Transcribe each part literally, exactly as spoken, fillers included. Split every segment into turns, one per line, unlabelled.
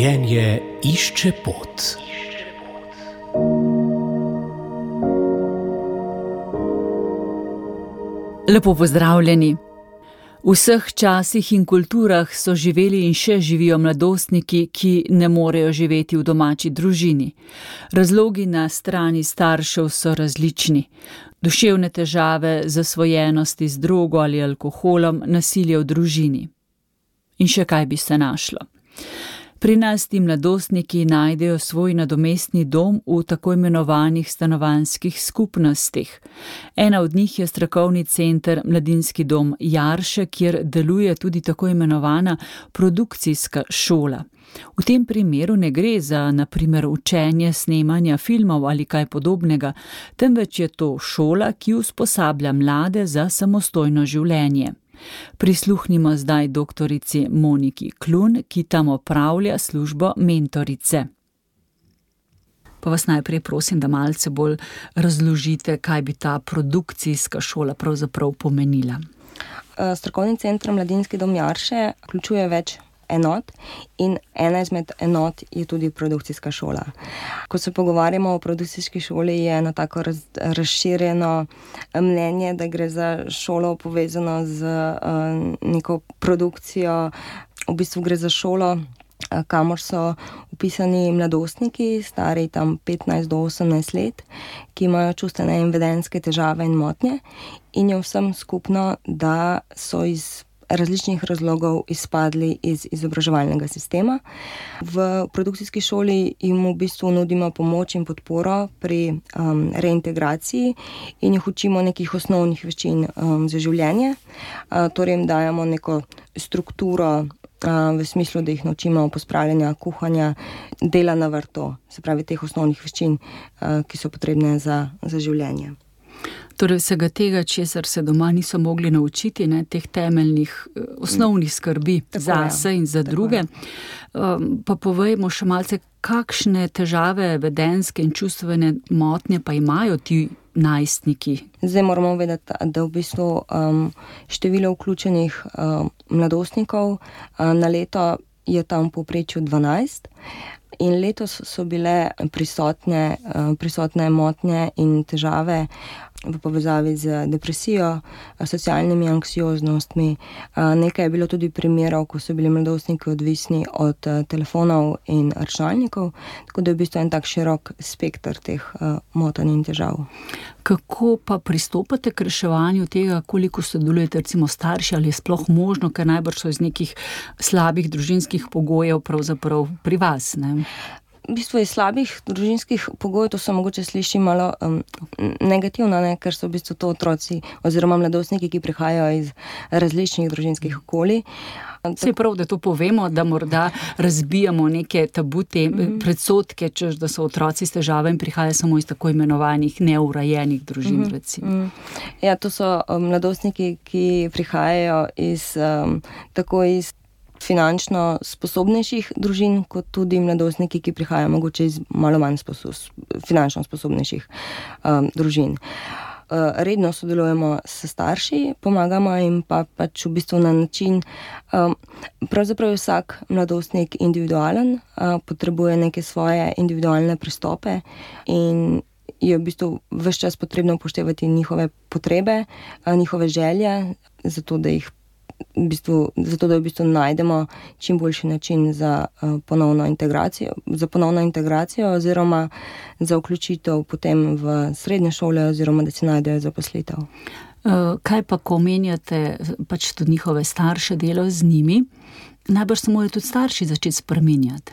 Življenje išče pot.
Lepo pozdravljeni. V vseh časih in kulturah so živeli in še živijo mladostniki, ki ne morejo živeti v domači družini. Razlogi na strani staršev so različni. Duševne težave, zasvojenosti z drogo ali alkoholom, nasilje v družini. In še kaj bi se našlo. Pri nas ti mladostniki najdejo svoj nadomestni dom v tako imenovanih stanovanjskih skupnostih. Ena od njih je strokovni center Mladinski dom Jarše, kjer deluje tudi tako imenovana produkcijska šola. V tem primeru ne gre za, na primer, učenje snemanja filmov ali kaj podobnega, temveč je to šola, ki usposablja mlade za samostojno življenje. Prisluhnimo zdaj doktorici Moniki Klun, ki tam opravlja službo mentorice. Pa vas najprej prosim, da malce bolj razložite, kaj bi ta produkcijska šola pravzaprav pomenila.
Strokovni center Mladinski dom Jarše vključuje več enot in ena izmed enot je tudi produkcijska šola. Ko se pogovarjamo o produkcijski šoli, je eno tako raz, razširjeno mnenje, da gre za šolo povezano z uh, neko produkcijo. V bistvu gre za šolo, uh, kamor so vpisani mladostniki, stari tam petnajst do osemnajst let, ki imajo čustvene in vedenjske težave in motnje, in je vsem skupno, da so iz različnih razlogov izpadli iz izobraževalnega sistema. V produkcijski šoli jim v bistvu nudimo pomoč in podporo pri um, reintegraciji in jih učimo nekih osnovnih veščin um, za življenje. Uh, torej jim dajemo neko strukturo uh, v smislu, da jih naučimo pospravljanja, kuhanja, dela na vrtu, se pravi teh osnovnih veščin, uh, ki so potrebne za, za življenje.
Torej vsega tega, česar se doma niso mogli naučiti, ne, teh temeljnih, osnovnih skrbi zase in za druge. Um, pa povejmo še malce, kakšne težave vedenjske in čustvene motnje pa imajo ti najstniki?
Zdaj moramo vedeti, da v bistvu um, število vključenih um, mladostnikov uh, na leto je tam v povprečju dvanajst. In letos so bile prisotne, prisotne motnje in težave v povezavi z depresijo, socialnimi anksioznostmi. Nekaj je bilo tudi primerov, ko so bili mladostniki odvisni od telefonov in računalnikov, tako da je v bistvu en tak širok spekter teh motenj in težav.
Kako pa pristopate k reševanju tega, koliko sodelujete recimo starši, ali je sploh možno, ker najbrž so iz nekih slabih družinskih pogojev pravzaprav pri vas, ne?
V bistvu iz slabih družinskih pogojev, to se mogoče sliši malo um, negativno, ne? Ker so v bistvu to otroci oziroma mladostniki, ki prihajajo iz različnih družinskih okolij.
Se je prav, da to povemo, da morda razbijamo neke tabute, mm-hmm. predsodke, češ, da so otroci s težavami prihajajo samo iz tako imenovanih neurajenih družin, mm-hmm. recimo.
Mm-hmm. Ja, to so um, mladostniki, ki prihajajo iz, um, tako iz finančno sposobnejših družin, kot tudi mladostniki, ki prihajajo mogoče iz malo manj sposob, finančno sposobnejših um, družin. Uh, redno sodelujemo s starši, pomagamo jim pa pač v bistvu na način, um, pravzaprav je vsak mladostnik individualen, uh, potrebuje neke svoje individualne pristope in je v bistvu ves čas potrebno upoštevati njihove potrebe, uh, njihove želje, zato da jih V bistvu, zato, da v bistvu najdemo čim boljši način za uh, ponovno integracijo, za ponovno integracijo oziroma za vključitev potem v srednje šole oziroma da si najdejo zaposlitev.
Uh, kaj pa, ko omenjate pač tudi njihove starše, delo z njimi, najbrž se morajo tudi starši začeti spreminjati,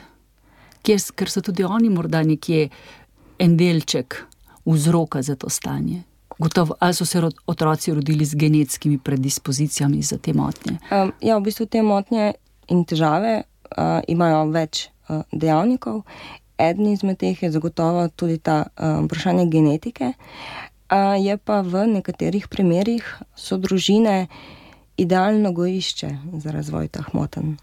ker, ker so tudi oni morda nekje en delček vzroka za to stanje. Gotovo, ali so se otroci rodili z genetskimi predispozicijami za te motnje?
Um, ja, v bistvu te motnje in težave uh, imajo več uh, dejavnikov. Eden izmed teh je zagotovo tudi ta uh, vprašanje genetike. Uh, je pa v nekaterih primerih so družine idealno gojišče za razvoj teh motenj.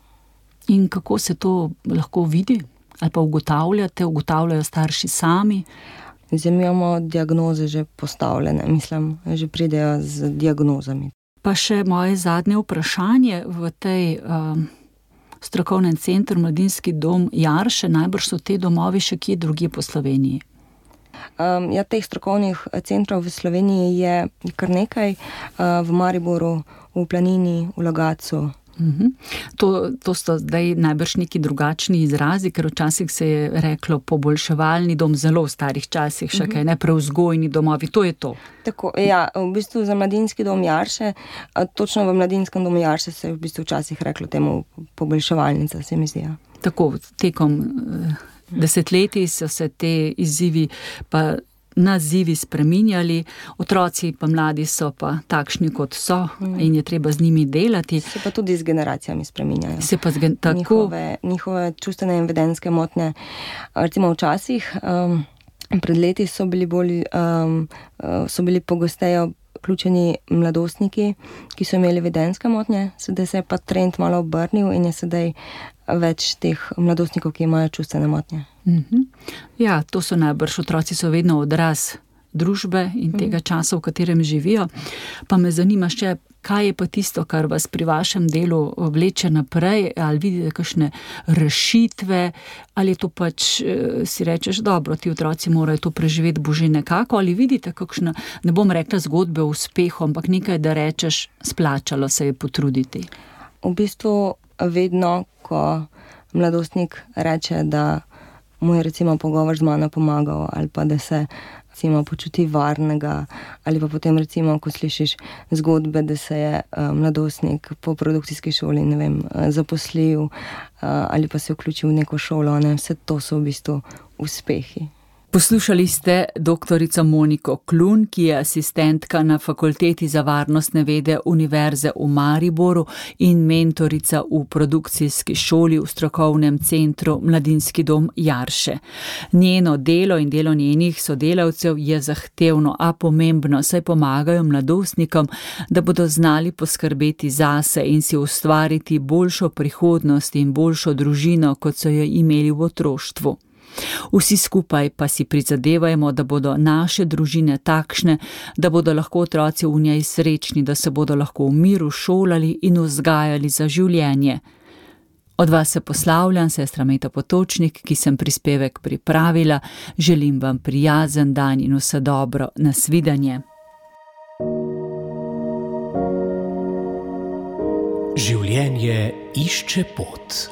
In kako se to lahko vidi? Ali pa ugotavljate, ugotavljajo starši sami?
Zdaj imamo diagnoze že postavljene, mislim, že pridejo z diagnozami.
Pa še moje zadnje vprašanje v tej um, v strokovnem centru Mladinski dom Jarše, najbrž so te domovi še kje drugje po Sloveniji.
Um, ja, teh strokovnih centrov v Sloveniji je kar nekaj, uh, v Mariboru, v Planini, v Logatcu.
Uh-huh. To, to so zdaj najbrž neki drugačni izrazi, ker včasih se je reklo poboljševalni dom, zelo v starih časih, še uh-huh. kaj, ne prevzgojni domovi, to je to.
Tako, ja, v bistvu za Mladinski dom Jarše, točno v Mladinskem domu Jarše se je v bistvu včasih reklo temu poboljševalnica, se mi zdi.
Tako, tekom desetletij so se te izzivi pa nazivi spreminjali, otroci pa mladi so pa takšni, kot so in je treba z njimi delati.
Se pa tudi z generacijami spreminjajo.
Se pa zgen, tako...
Njihove, njihove čustvene in vedenjske motnje. Recimo včasih, um, pred leti so bili bolj, um, so bili pogosteje vključeni mladostniki, ki so imeli vedenjske motnje, sedaj se je pa trend malo obrnil in je sedaj več teh mladostnikov, ki imajo čustvene motnje.
Mm-hmm. Ja, to so najbrž, otroci so vedno odraz družbe in tega časa, v katerem živijo. Pa me zanima še, kaj je pa tisto, kar vas pri vašem delu vleče naprej, ali vidite kakšne rešitve, ali je to pač, si rečeš, dobro, ti otroci morajo to preživeti bože nekako, ali vidite kakšne, ne bom rekla zgodbe o uspehu, ampak nekaj, da rečeš, splačalo se je potruditi.
V bistvu vedno, ko mladostnik reče, da mu je recimo pogovor z mano pomagal, ali pa da se recimo počuti varnega, ali pa potem recimo, ko slišiš zgodbe, da se je uh, mladostnik po produkcijski šoli, ne vem, uh, zaposlil uh, ali pa se vključil v neko šolo, ne, vse to so v bistvu uspehi.
Poslušali ste doktorico Moniko Klun, ki je asistentka na Fakulteti za varnostne vede Univerze v Mariboru in mentorica v produkcijski šoli v strokovnem centru Mladinski dom Jarše. Njeno delo in delo njenih sodelavcev je zahtevno, a pomembno, saj pomagajo mladostnikom, da bodo znali poskrbeti zase in si ustvariti boljšo prihodnost in boljšo družino, kot so jo imeli v otroštvu. Vsi skupaj pa si prizadevajmo, da bodo naše družine takšne, da bodo lahko otroci v njej srečni, da se bodo lahko v miru šolali in vzgajali za življenje. Od vas se poslavljam, sestra Meta Potočnik, ki sem prispevek pripravila. Želim vam prijazen dan in vse dobro. Nasvidenje.
Življenje išče pot.